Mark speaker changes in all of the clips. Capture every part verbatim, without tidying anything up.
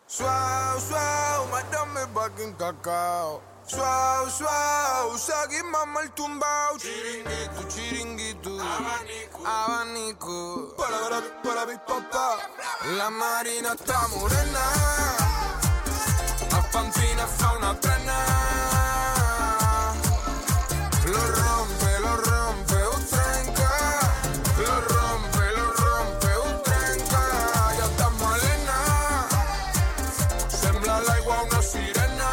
Speaker 1: Suau, suau, madame bakin cacao. Suau, suau, seguim amb el tumbao. Chiringuito, chiringuito, abanico, abanico. Para, para, para, mi papá. La marina está morena. A Pampina fa una trena. Lo rompe, lo rompe, ho trenca. Lo rompe, lo rompe, ho trenca. Ja està malena. Sembla l'aigua una sirena.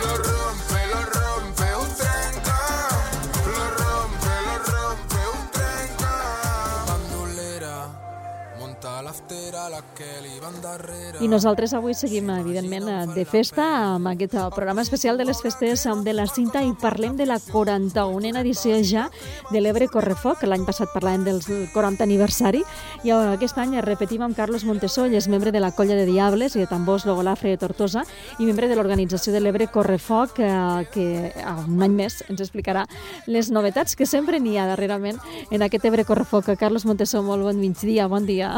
Speaker 1: Lo rompe, lo rompe, ho trenca. Lo rompe, lo rompe, ho trenca. Bandolera, monta l'aftera, la Kelly van darrere.
Speaker 2: I nosaltres avui seguim, evidentment, de festa amb aquest programa especial de les festes de la Cinta i parlem de la quaranta-unena edició ja de l'Ebre Correfoc. L'any passat parlàvem del quaranta aniversari i aquest any repetim amb Carlos Montesoll, és membre de la Colla de Diables i de Tambors Logolafre de Tortosa i membre de l'organització de l'Ebre Correfoc, que un any més ens explicarà les novetats que sempre n'hi ha darrerament en aquest Ebre Correfoc. Carlos Montesoll, molt bon migdia, bon dia.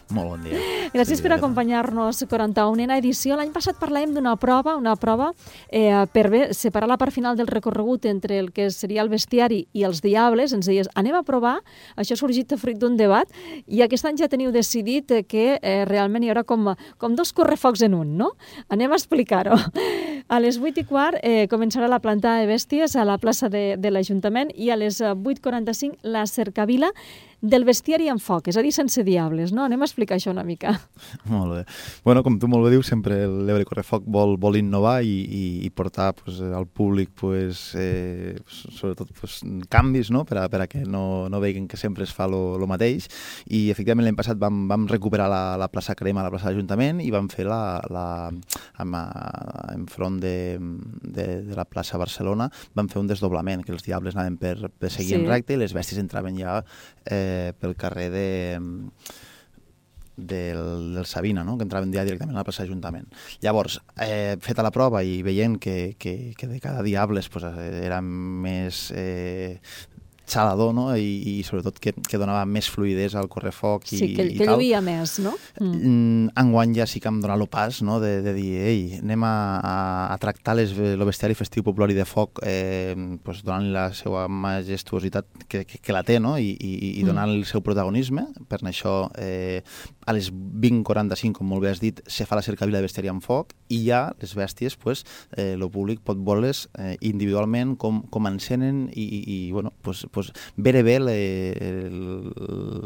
Speaker 3: Molt bon dia.
Speaker 2: Gràcies per acompanyar-nos. quaranta-unena edició. L'any passat parlàvem d'una prova, una prova eh, per bé, separar la part final del recorregut entre el que seria el bestiari i els diables. Ens deies, anem a provar, això ha sorgit fruit d'un debat, i aquest any ja teniu decidit que eh, realment hi haurà com, com dos correfocs en un, no? Anem a explicar-ho. A les vuit i quart eh, començarà la plantada de bèsties a la plaça de, de l'Ajuntament i a les vuit quaranta-cinc la cercavila del bestiari en foc, és a dir, sense diables, no? Anem a explicar això una mica.
Speaker 3: Molt bé. Bueno, com tu molt bé dius, sempre l'Ebre Correfoc vol, vol innovar i, i, i portar pues, al públic pues, eh, sobretot pues, canvis, no? per, a, per a que no, no veguin que sempre es fa lo, lo mateix. I efectivament l'any passat vam, vam recuperar la, la plaça Crema, la plaça de l'Ajuntament, i vam fer la, la amb, enfront de, de, de la plaça Barcelona, vam fer un desdoblament, que els diables anaven per, per seguir sí. en recte i les bèsties entraven ja eh, pel carrer de, del, del Sabina, no? Que entraven ja directament a la plaça d'Ajuntament. Llavors, eh, feta la prova i veient que, que, que de cada diables pues, era més eh, xalador, no? I, i sobretot que, que donava més fluïdesa al correfoc i,
Speaker 2: sí, que,
Speaker 3: i
Speaker 2: que
Speaker 3: tal.
Speaker 2: lluïa més, no?
Speaker 3: Mm. Enguany ja sí que em dona l'opàs, no? de, de dir, ei, anem a, a, a tractar les, el bestiari festiu popular i de foc eh, pues, donant la seva majestuositat que, que, que la té, no? I, i, i donant mm. el seu protagonisme. Per això eh, a les vint quaranta-cinc, com molt bé has dit, se fa la cercavila de bestiari en foc i ja les bèsties, pues, eh, el públic pot veure-les eh, individualment com, com encenen i, i, i bueno, pues, pues, veure bé le,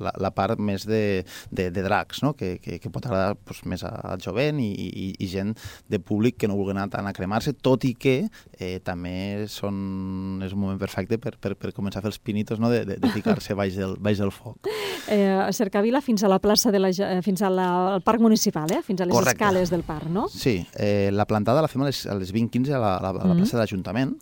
Speaker 3: la, la part més de, de, de dracs, no? que, que, que pot agradar pues, més al jovent i, i, i gent de públic que no vulgui anar tant a cremar-se, tot i que eh, també són, és un moment perfecte per, per, per començar a fer els pinitos, no? de, de, de ficar-se baix del, baix del foc.
Speaker 2: Eh, cercavila fins a la plaça de la, fins a la, al parc municipal, eh? Fins a les
Speaker 3: Correcte.
Speaker 2: Escales del parc, no?
Speaker 3: Sí, eh, la plantada la fem a les, a les vint quinze a la, a la, a la plaça mm. de l'Ajuntament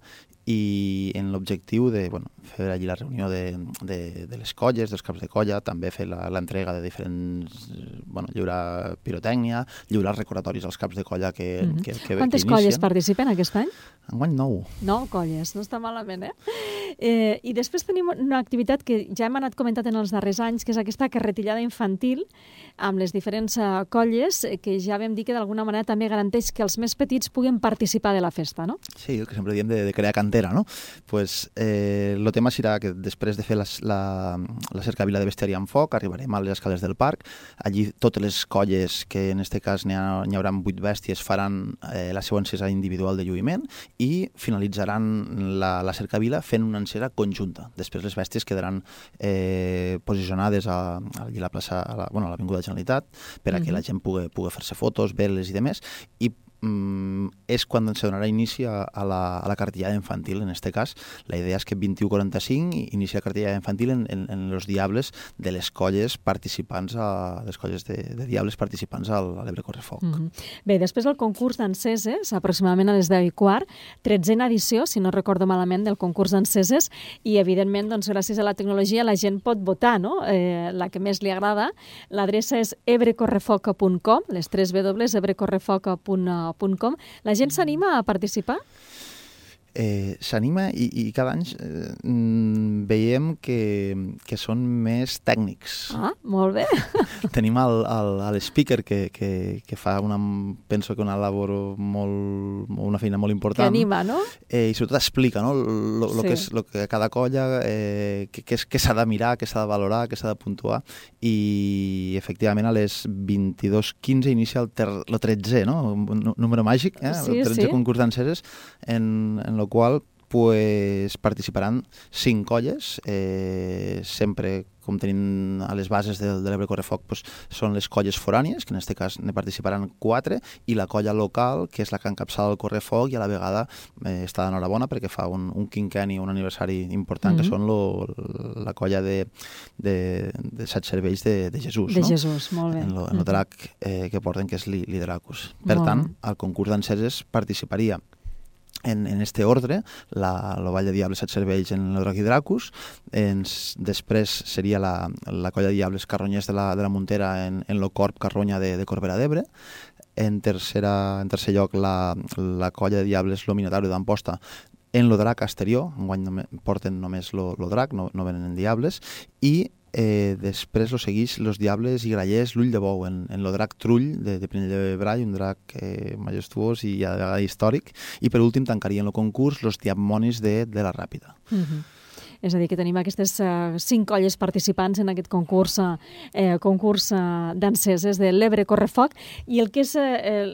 Speaker 3: i en l'objectiu de bueno, fer allí la reunió de, de, de les colles, dels caps de colla, també fer l'entrega de diferents... Bueno, lliurar pirotècnia, lliurar recordatoris als caps de colla que, mm-hmm. que, que,
Speaker 2: Quantes
Speaker 3: que
Speaker 2: colles participen aquest any?
Speaker 3: Enguany nou.
Speaker 2: Nou colles, no està malament, eh? eh? I després tenim una activitat que ja hem anat comentant en els darrers anys, que és aquesta carretillada infantil amb les diferents uh, colles, que ja vam dir que d'alguna manera també garanteix que els més petits puguen participar de la festa, no?
Speaker 3: Sí, el que sempre diem de, de crear cantera, no? Pues eh, el tema serà que després de fer la, la, la cercavila de bestiari en foc arribarem a les escales del parc. Allí totes les colles, que en aquest cas n'hi ha, n'hi haurà vuit bèsties, faran eh, la seva encesa individual de lluïment i finalitzaran la, la cercavila fent una encesa conjunta. Després les bèsties quedaran eh, posicionades a, a la plaça, a la, bueno, a l'Avinguda Generalitat per a que mm-hmm. la gent pugui, pugui fer-se fotos, veure-les i demés, i Mm, és quan se donarà inici a, a, la, a la cartellada infantil. En aquest cas, la idea és que vint-i-u quaranta-cinc inicia la cartellada infantil en, en, en els diables de les colles participants, a, les colles de, de diables participants al, a l'Ebre Correfoc.
Speaker 2: Mm-hmm. Bé, després del concurs d'enceses, aproximadament a les deu i quart, tretzena edició, si no recordo malament, del concurs d'enceses, i evidentment, doncs, gràcies a la tecnologia, la gent pot votar, no? Eh, la que més li agrada. L'adreça és ebrecorrefoc punt com, les tres w, ebrecorrefoc punt com. La gent s'anima a participar?
Speaker 3: Eh, s'anima i, i cada any eh, veiem que, que són més tècnics.
Speaker 2: Ah, molt bé.
Speaker 3: Tenim el, el, el speaker que, que, que fa una, penso que una labor molt, una feina molt important.
Speaker 2: Que anima, no?
Speaker 3: Eh, I sobretot explica, no? Lo, lo,
Speaker 2: Sí.
Speaker 3: que és, lo que cada colla, eh, que, que, és, que s'ha de mirar, que s'ha de valorar, que s'ha de puntuar, i efectivament a les vint-i-dos quinze inicia el, ter, el tretzè, no? Un número màgic, eh?
Speaker 2: Sí,
Speaker 3: el tretzè
Speaker 2: sí.
Speaker 3: concurs d'enceses, en, en el qual pues, participaran cinc colles, eh, sempre com tenim a les bases de, de l'Ebre Correfoc, pues, són les colles forànies, que en aquest cas ne participaran quatre, i la colla local, que és la que encapçala el Correfoc, i a la vegada eh, està d'enhorabona perquè fa un, un quinquenni, un aniversari important, mm-hmm. que són lo, la colla de, de, de set cervells de, de Jesús.
Speaker 2: De
Speaker 3: no?
Speaker 2: Jesús, molt bé.
Speaker 3: En lo, en lo drac eh, que porten, que és l'Hidracus. Per
Speaker 2: Molt
Speaker 3: tant,
Speaker 2: bé.
Speaker 3: al concurs d'enceses participaria en, en este ordre, la, la Vall de Diables Set Cervells en el Drac i Dracus, ens, després seria la, la colla de Diables Carronyers de la, de la Muntera en, en lo Corp Carronya de, de Corbera d'Ebre, en, tercera, en tercer lloc la, la colla de Diables Lo Minotauro d'Amposta en lo Drac exterior, enguany només, porten només lo, lo Drac, no, no venen en Diables, i Eh, després lo segueix los Diables i Grallers l'Ull de Bou en, en lo drac Trull de, de Pinell de Brai, un drac eh, majestuós i a vegades històric, i per últim tancarien el concurs los Diamonis de, de la Ràpida.
Speaker 2: Mm-hmm. És a dir, que tenim aquestes uh, cinc colles participants en aquest concurs, eh, concurs uh, d'enceses de l'Ebre Correfoc, i el que és eh,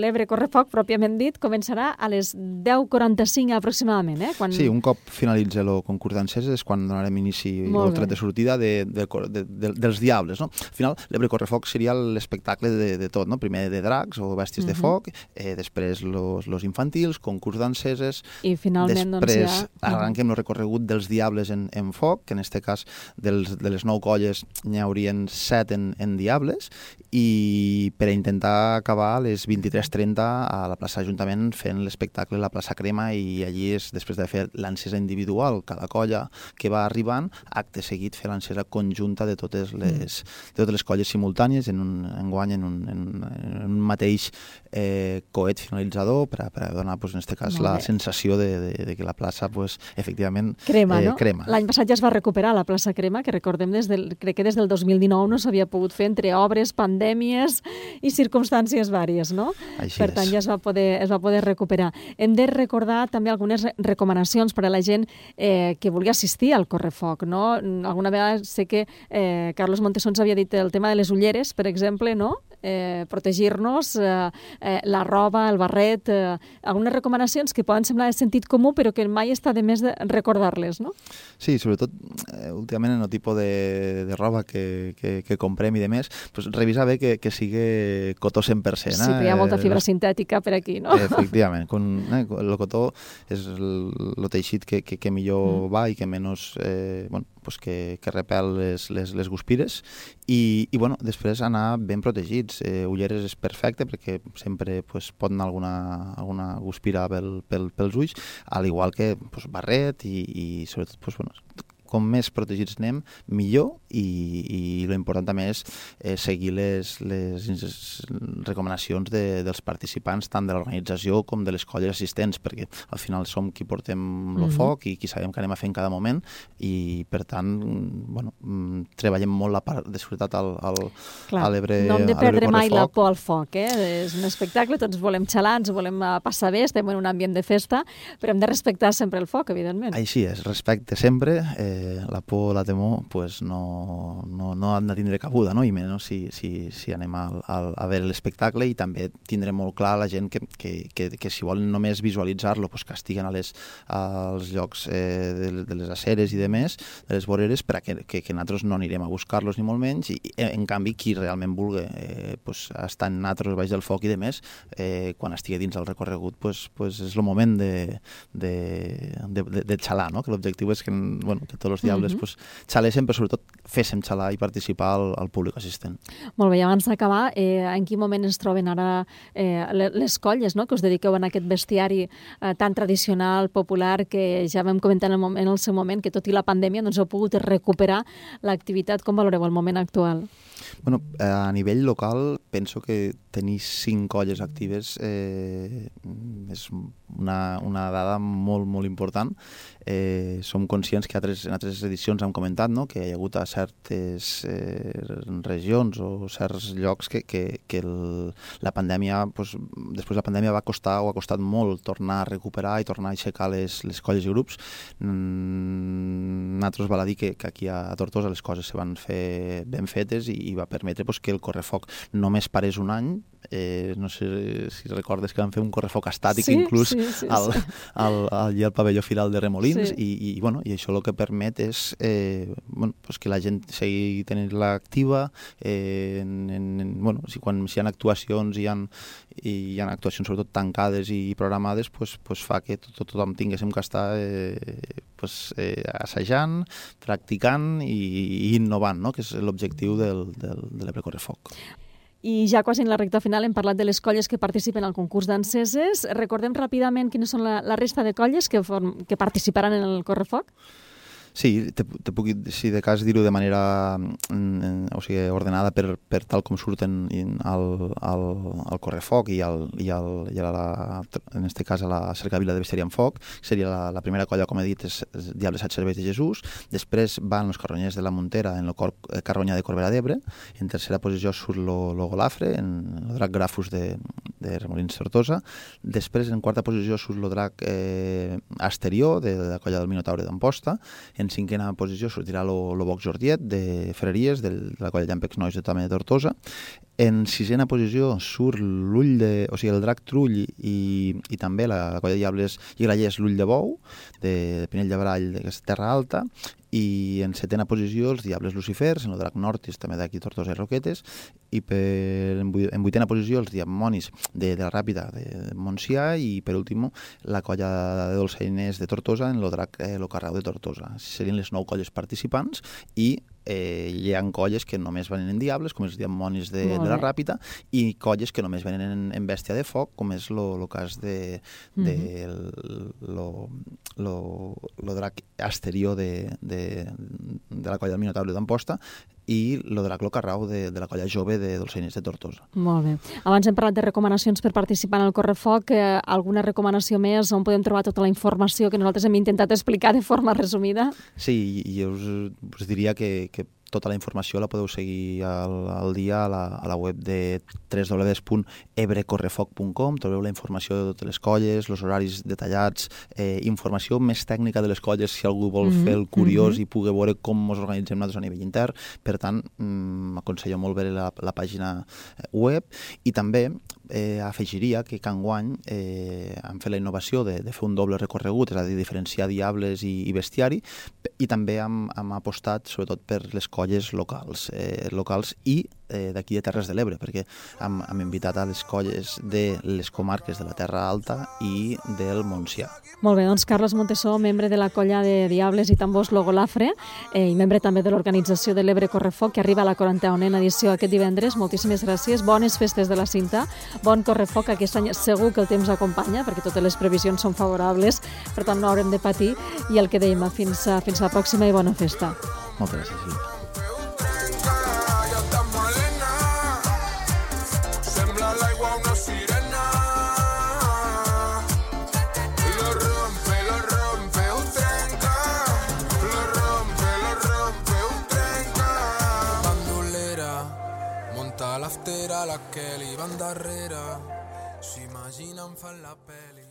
Speaker 2: l'Ebre Correfoc, pròpiament dit, començarà a les deu quaranta-cinc aproximadament. Eh? Quan...
Speaker 3: Sí, un cop finalitza el concurs d'enceses és quan donarem inici al tret de sortida de, de, de, de, dels Diables. No? Al final, l'Ebre Correfoc seria l'espectacle de, de tot, no? Primer de dracs o bèsties uh-huh. de foc, eh, després los, los infantils, concurs d'enceses,
Speaker 2: i finalment
Speaker 3: després
Speaker 2: doncs, ja...
Speaker 3: arranquem el recorregut dels Diables En, en foc, que en aquest cas dels, de les nou colles n'hi haurien set en, en Diables, i per a intentar acabar a les vint-i-tres trenta a la plaça Ajuntament fent l'espectacle a la plaça Crema, i allí és després de fer l'encesa individual, cada colla que va arribant, acte seguit fer l'encesa conjunta de totes les, de totes les colles simultànies en un enguany en un, en, en un mateix eh, coet finalitzador per a, per a donar, pues, en aquest cas, la sensació de, de, de que la plaça, pues, efectivament,
Speaker 2: crema,
Speaker 3: eh,
Speaker 2: no?
Speaker 3: crema.
Speaker 2: L'any passat ja es va recuperar la plaça Crema, que recordem, des del, crec que des del dos mil dinou no s'havia pogut fer entre obres, pandèmies i circumstàncies vàries, no?
Speaker 3: Així
Speaker 2: per
Speaker 3: és.
Speaker 2: tant, ja es va, poder, es va poder recuperar. Hem de recordar també algunes recomanacions per a la gent eh, que vulgui assistir al Correfoc, no? Alguna vegada sé que eh, Carlos Montesons havia dit el tema de les ulleres, per exemple, no? Eh, protegir-nos, eh, eh, la roba, el barret, eh, algunes recomanacions que poden semblar de sentit comú, però que mai està de més de recordar-les, no?
Speaker 3: Sí, sobretot eh, últimament en el tipus de, de roba que, que, que comprem i de més, pues, revisar bé que, que sigui cotó cent per cent.
Speaker 2: Sí, però hi ha molta fibra eh, sintètica per aquí, no?
Speaker 3: Efectivament. Con, eh, el cotó és el, el teixit que, que, que millor mm. va i que menys, eh, bueno, pues que, que repel les, les, les guspires, i, i bueno, després anar ben protegits. Eh, ulleres és perfecte perquè sempre pues, pot anar alguna, alguna guspira pel, pel, pels ulls, al igual que pues, barret i, i sobretot pues, bueno, com més protegits anem, millor, i, i l'important també és eh, seguir les, les recomanacions de, dels participants, tant de l'organització com de les colles assistents, perquè al final som qui portem el mm-hmm. foc i qui sabem que anem a fer en cada moment, i per tant, bueno, treballem molt la part de seguretat al, al,
Speaker 2: Clar,
Speaker 3: a l'Ebre.
Speaker 2: No hem de perdre mai la por al foc, eh? És un espectacle, tots volem xalar, ens volem passar bé, estem en un ambient de festa, però hem de respectar sempre el foc, evidentment.
Speaker 3: Així és, respecte sempre, eh, la por, la temor, pues no, no, no han de tindre cabuda, no? I menys si, si, si anem a, a, a veure l'espectacle, i també tindrem molt clar la gent que, que, que, que si volen només visualitzar-lo, pues que estiguen a les, als llocs eh, de, de les aceres i de més, de les voreres, perquè que, que nosaltres no anirem a buscar-los ni molt menys, i en canvi qui realment vulgui eh, pues, estar en nosaltres baix del foc i de més, eh, quan estigui dins del recorregut, pues, pues és el moment de, de, de, de, de xalar, no? Que l'objectiu és que, bueno, que tots els diables,
Speaker 2: Mhm.
Speaker 3: pues, xaléssim, però sobretot féssim xalar i participar al, al públic assistent.
Speaker 2: Molt bé, i abans d'acabar, eh, en quin moment es troben ara eh, le- les colles, no?, que us dediqueu a aquest bestiari eh, tan tradicional, popular, que ja vam comentar en el, moment, en el seu moment, que tot i la pandèmia doncs heu pogut recuperar l'activitat. Com valoreu el moment actual?
Speaker 3: Bueno, eh, a nivell local penso que tenir cinc colles actives eh, és una, una dada molt, molt important. Eh, som conscients que altres, en altres edicions hem comentat, no?, que hi ha hagut a certes eh, regions o certs llocs que, que, que el, la pandèmia, doncs, després de la pandèmia va costar o ha costat molt tornar a recuperar i tornar a aixecar les, les colles i grups. Mm, nosaltres val a dir que, que aquí a Tortosa les coses se van fer ben fetes i, i va permetre pues, que el correfoc només parés un any. Eh, no sé si recordes que van fer un correfoc estàtic,
Speaker 2: sí,
Speaker 3: inclús
Speaker 2: sí, sí,
Speaker 3: al,
Speaker 2: sí.
Speaker 3: al, al, al pavelló Firal de Remolins,
Speaker 2: Sí.
Speaker 3: i, i, bueno, i això el que permet és eh, bueno, pues que la gent segui tenint-la activa, eh, en, en, bueno, si quan si hi ha actuacions i hi ha, i hi ha actuacions sobretot tancades i programades, pues, pues fa que tot, tothom tinguéssim que estar eh, pues, eh, assajant, practicant i, i innovant, no?, que és l'objectiu del, del, de l'Ebre Correfoc.
Speaker 2: I ja quasi en la recta final hem parlat de les colles que participen al concurs d'enceses. Recordem ràpidament quines són la, la resta de colles que, form, que participaran en el correfoc?
Speaker 3: Sí, te, te puc, si de cas dir-ho de manera mm, o sigui, ordenada per, per tal com surten al, al, al correfoc i, al, i, al, i a la, en este cas a la cercavila de Bestiari amb Foc. Seria la, la primera colla, com he dit, és Diables Set Serveis de Jesús. Després van els Carronyers de la Montera en el cor, Carronya de Corbera d'Ebre. En tercera posició surt lo, lo Golafre, en el drac Grafus de, de Remolins Tortosa. Després, en quarta posició, surt lo drac eh, Asterió, de la colla del Minotaure d'Amposta. En cinquena posició sortirà lo, lo Boc Jordiet de Ferreries, de la colla Llampecs Nois de Tame de Tortosa. En sisena posició surt l'ull de, o sigui, el drac Trull i, i també la, la colla de Diables i Grallers l'ull de Bou, de, de Pinell de Brall, d'aquesta Terra Alta. I en setena posició els Diables Lucifers, en el drac Nortis, també d'aquí Tortosa i Roquetes, i per, en, vuit, en vuitena posició els Diamonis de, de la Ràpida de Montsià, i per últim la colla de dolçainers de Tortosa en el drac eh, lo Carreu de Tortosa. Serien les nou colles participants i eh, hi ha colles que només venen en Diables, com els Diamonis de, de la Ràpida, i colles que només venen en, en Bèstia de Foc, com és lo, lo cas de, de mm-hmm. lo, lo, lo drac Asterió de, de de la colla del Minotaure d'Amposta i lo drac lo Carrau de, de la colla jove de dolçainers de Tortosa.
Speaker 2: Molt bé. Abans hem parlat de recomanacions per participar en el correfoc. Eh, alguna recomanació més on podem trobar tota la informació que nosaltres hem intentat explicar de forma resumida?
Speaker 3: Sí, i us, us diria que, que tota la informació la podeu seguir al, al dia a la, a la web de w w w punt ebrecorrefoc punt com. Trobeu la informació de totes les colles, els horaris detallats, eh, informació més tècnica de les colles si algú vol mm-hmm. fer el curiós mm-hmm. i pugui veure com ens organitzem nosaltres a nivell intern. Per tant, m'aconsello molt veure la, la pàgina web, i també eh, afegiria que cada any eh, hem fet la innovació de, de fer un doble recorregut, és a dir, diferenciar Diables i, i Bestiari, i també hem, hem apostat sobretot per les colles locals, eh, locals i eh, d'aquí de Terres de l'Ebre, perquè hem, hem invitat a les colles de les comarques de la Terra Alta i del Montsià.
Speaker 2: Molt bé, doncs Carles Montesó, membre de la colla de Diables i Tambors Logolafre eh, i membre també de l'organització de l'Ebre Correfoc, que arriba a la quaranta-unena edició aquest divendres. Moltíssimes gràcies, bones festes de la cinta, bon correfoc. Aquest any segur que el temps acompanya, perquè totes les previsions són favorables, per tant no haurem de patir, i el que dèiem, fins a, fins a la pròxima i bona festa.
Speaker 3: Moltes gràcies, Sílvia.
Speaker 1: L'aftera, la que li van darrere, s'imaginen fan la peli.